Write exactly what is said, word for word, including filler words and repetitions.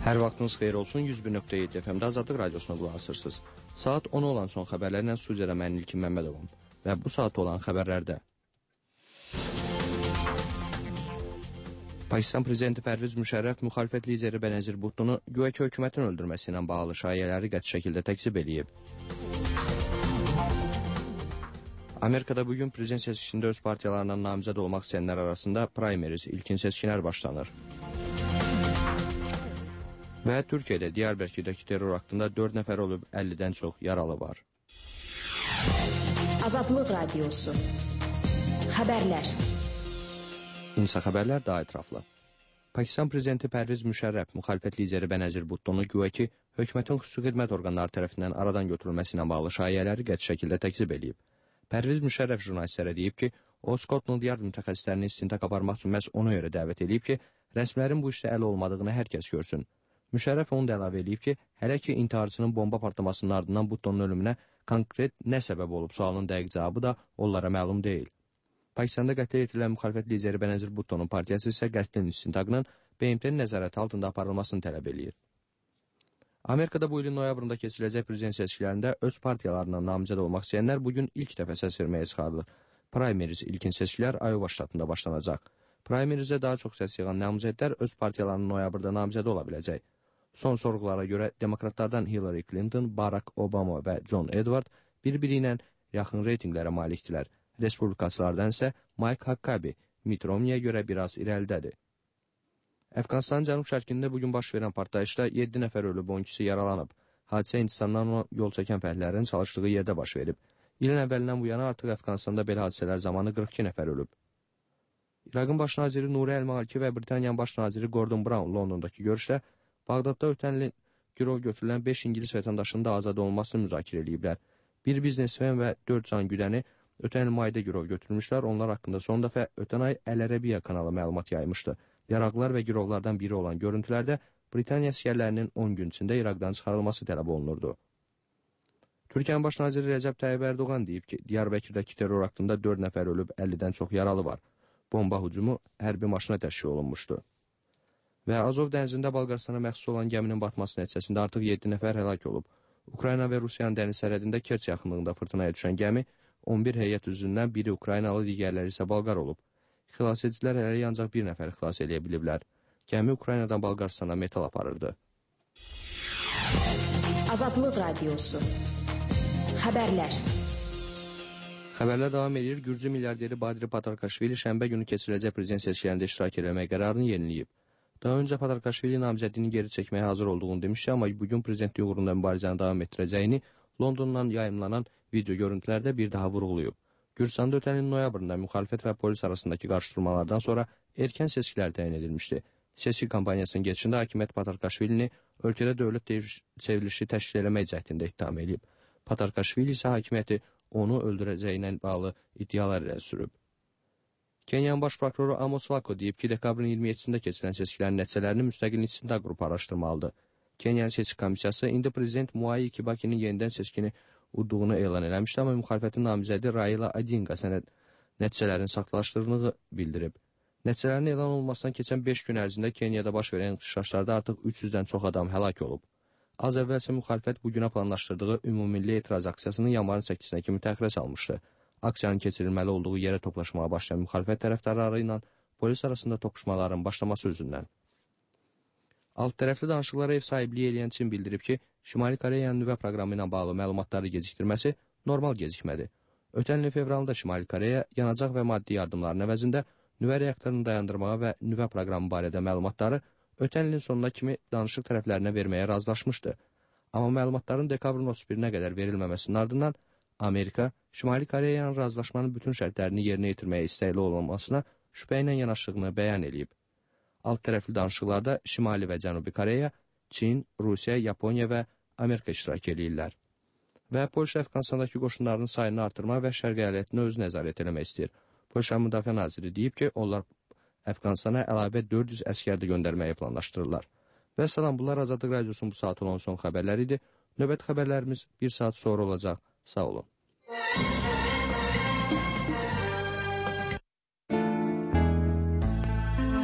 Hər vaxtınız xeyir olsun. yüz bir nöqtə yeddi F M-də Azadlıq Radiosuna qulaq asırsınız. Saat on olan son xəbərlərlə studiyada mən İlkin Məmmədovum. Və bu saat olan xəbərlərdə Pakistan Prezidenti Pərviz Müşərrəf müxalifət lideri Benazir Bhuttonu güya ki hökumətin öldürməsi ilə bağlı şayələri qəti şəkildə təkzib eləyib. Amerikada bugün prezident seçkisində öz partiyalarından namizəd olmaq istəyənlər arasında primaries, ilkin seçkilər başlanır. Və Türkiyədə Diyarbəkırdəki terror aktında dörd nəfər olub, əllidən çox yaralı var. Azadlıq Radiosu Xəbərlər İnsa xəbərlər daha ətraflı. Pakistan Prezidenti Pərviz Müşərrəf müxalifət lideri Benazir Bhuttonu güya ki hökumətin xüsusi xidmət orqanları tərəfindən aradan götürülməsi ilə bağlı şayələri qəti şəkildə təkzib eləyib. Pərviz Müşərrəf jurnalistlərə deyib ki, o Skotland Yard mütəxəssislərini istintaq aparmaq üçün məhz ona görə dəvət edib ki, rəsmilərin bu işdə əli olmadığını hər kəs görsün. Müşərrəf onu da əlavə edib ki, hələ ki intiharçının bomba partlamasının ardından Bhuttonun ölümünə konkret nə səbəb olub sualının dəqiq cavabı da onlara məlum deyil. Pakistanda qətlə yetirilən müxalifət lideri Benazir Bhuttonun partiyası isə qətlin istintaqının B M T-nin nəzarəti altında aparılmasını tələb eləyir. Amerikada bu ilin noyabrında keçiriləcək prezident seçkilərində öz partiyalarından namizəd olmaq istəyənlər bugün ilk dəfə səs verməyə çıxarılır. Primaries ilkin seçkilər Iowa ştatında başlanacaq. Primariesdə daha çox səs yığan namizədlər öz partiyalarının noyabrda namizəd ola biləcək. Son sorğulara görə demokratlardan Hillary Clinton, Barack Obama və John Edward bir-biri ilə yaxın reytinqlərə malikdilər. Respublikaçılardan isə Mike Huckabee Mitt Romney'ə görə biraz irəlidədir. Əfqanistanın cənub-şərqində bugün baş verən partlayışda yeddi nəfər ölüb, on ikisi yaralanıb. Hadisə Hindistandan yol çəkən fəhlərin çalışdığı yerdə baş verib. İlin əvvəlindən bu yana artıq Əfqanistanda belə hadisələr zamanı qırx iki nəfər ölüb. İraqın baş naziri Nuri Əl-Maliki və Britaniyanın baş naziri Gordon Brown Londondakı görüşdə Bağdadda ötən ilin girov götürülən beş İngilis vətəndaşının da azad olunmasını müzakirə ediblər. Bir biznesmen və dörd can güdəni ötən il mayda girov götürmüşlər. Onlar haqqında son dəfə ötən ay Əl-Ərəbiyyə kanalı məlumat yaymışdı. Yaraqlar və girovlardan biri olan görüntülərdə Britaniya əsgərlərinin on gün içində İraqdan çıxarılması tələb olunurdu. Türkiyənin baş naziri Rəcəb Tayyib Ərdoğan deyib ki, Diyarbəkirdəki terror aktında dörd nəfər ölüb, əllidən çox yaralı var. Bomba hücumu hərbi maşına təşkil olunmuşdu. Və Azov dənizində Balqaristana məxsus olan gəminin batması nəticəsində artıq yeddi nəfər həlak olub. Ukrayna və Rusiyanın dəniz sərhədində Kerç yaxınlığında fırtınaya düşən gəmi on bir heyət üzvündən biri Ukraynalı, digərləri isə Balqar olub. Xilas edicilər hələ ancaq bir nəfər xilas edə biliblər. Gəmi Ukraynadan Balqaristana metal aparırdı. Azadlıq Radiosu Xəbərlər Xəbərlər davam edir. Gürcü milyarderi Badri Patarkaşvili şənbə günü keçiriləcək prezident seçkilərində iştirak etmək qərarını yeniləyib. Daha öncə Patarkaşvili namizədliyini geri çəkməyə hazır olduğunu demişdi, amma bugün prezidentlik uğrunda mübarizəni davam etdirəcəyini Londondan yayımlanan video görüntülərdə bir daha vurğulayıb. Gürcüstanda ötən ilin noyabrında müxalifət və polis arasındakı qarşıdurmalardan sonra erkən seçkilər təyin edilmişdi. Seçki kampaniyasının geçişində hakimiyyət Patarkaşvilini ölkədə dövlət çevrilişi təşkil eləmək cəhdində ittiham edib. Patarkaşvili isə hakimiyyəti onu öldürəcəyinə bağlı iddialar ilə sürüb. Kenyanın baş prokuroru Amos Wako deyib ki, dekabrın iyirmi yeddisində keçirilən seçkilərin nəticələrini müstəqil istintaq qrupu araşdırmalıdır. Kenyanın seçki komissiyası indi prezident Mwai Kibakinin yenidən seçkini udduğunu elan eləmişdi, amma müxalifətin namizədi Raila Odinga sənəd nəticələrin saxtalaşdırıldığını bildirib. Nəticələrin elan olmasından keçən beş gün ərzində Kenyada baş verən ixtişaşlarda artıq üç yüzdən çox adam həlak olub. Az əvvəlsə müxalifət bugünə planlaşdırdığı ümumilli etiraz aksiyasını yanvarın səkkizinə kimi təxirə salmışdı. Aksiyanın keçirilməli olduğu yerə toplaşmağa başlayan müxalifət tərəfdarları ilə polis arasında toqquşmaların başlaması üzündən. Alt tərəfli danışıqlara ev sahibliyi eləyən Çin bildirib ki, Şimali Koreyanın nüvə proqramı ilə bağlı məlumatları gecikdirməsi normal gecikmədir. Ötən ilin fevralında Şimali Koreya yanacaq və maddi yardımların əvəzində nüvə reaktorunu dayandırmağa və nüvə proqramı barədə məlumatları ötən ilin sonuna kimi danışıq tərəflərinə verməyə razılaşmışdı. Amma məlumatların dekabrın otuz birinə qədər verilməməsinin ardından Amerika, Şimali Koreyanın razılaşmanın bütün şərtlərini yerinə yetirməyə istəkli olunmasına şübhə ilə yanaşdığını bəyan edib. Alt tərəfli danışıqlarda Şimali və Cənubi Koreya, Çin, Rusiya, Yaponiya və Amerika iştirak edirlər. Və Polşa Əfqanistandakı qoşunlarının sayını artırmaq və şərq əyalətinə öz nəzarət eləmək istəyir. Polşa Müdafiə Naziri deyib ki, onlar Əfqanistana əlavə dörd yüz əskər də göndərməyi planlaşdırırlar. Və salam, bunlar Azadlıq Radiosunun bu saat olan son xəbərləri idi. Növbəti xəbərlərimiz bir saat sonra olacaq. Sağ olun.